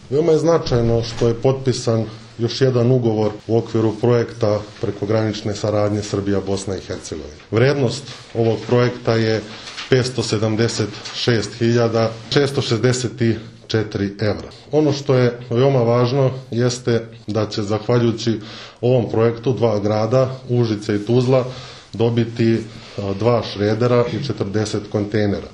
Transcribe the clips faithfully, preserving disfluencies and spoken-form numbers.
Veoma je značajno što je potpisan još jedan ugovor u okviru projekta prekogranične saradnje Srbija-Bosna i Hercegovina. Vrednost ovog projekta je petsto sedamdeset šest hiljada šesto šezdeset četiri evra. Ono što je veoma važno jeste da će, zahvaljujući ovom projektu, dva grada, Užice i Tuzla, dobiti dva šredera i četrdeset kontejnera.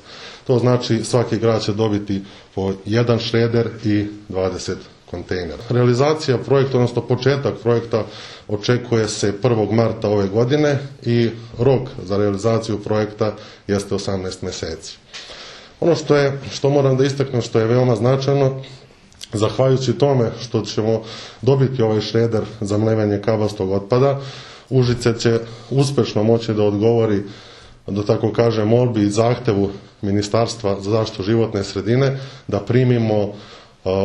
To znači svaki grad će dobiti po jedan šreder i dvadeset kontejnera. Realizacija projekta, odnosno početak projekta, očekuje se prvog marta ove godine i rok za realizaciju projekta jeste osamnaest meseci. Ono što je, što moram da istaknem, što je veoma značajno, zahvaljujući tome što ćemo dobiti ovaj šreder za mlevenje kabastog otpada, Užice će uspešno moći da odgovori, da tako kažem, molbi i zahtevu Ministarstva za zaštitu životne sredine da primimo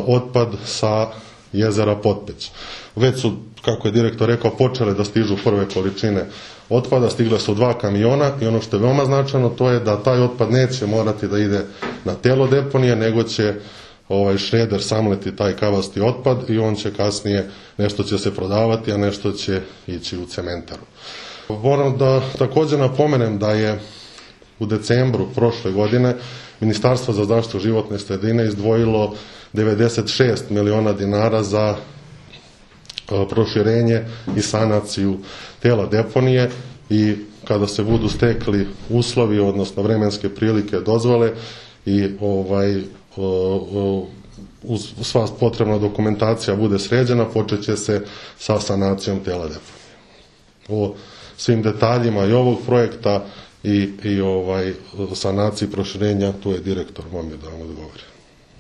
otpad sa jezera Potpeć. Već su, kako je direktor rekao, počele da stižu prve količine otpada, stigle su dva kamiona i ono što je veoma značajno, to je da taj otpad neće morati da ide na telo deponije, nego će ovaj šreder samleti taj kavasti otpad i on će kasnije, nešto će se prodavati, a nešto će ići u cementaru. Moram da također napomenem da je u decembru prošle godine Ministarstvo za zaštitu životne sredine izdvojilo devedeset šest miliona dinara za proširenje i sanaciju tela deponije i kada se budu stekli uslovi, odnosno vremenske prilike, dozvole i ovaj sva potrebna dokumentacija bude sređena, počet će se sa sanacijom tela deponije. O svim detaljima i ovog projekta i, i ovaj sanaciji proširenja, tu je direktor Momir da vam odgovori.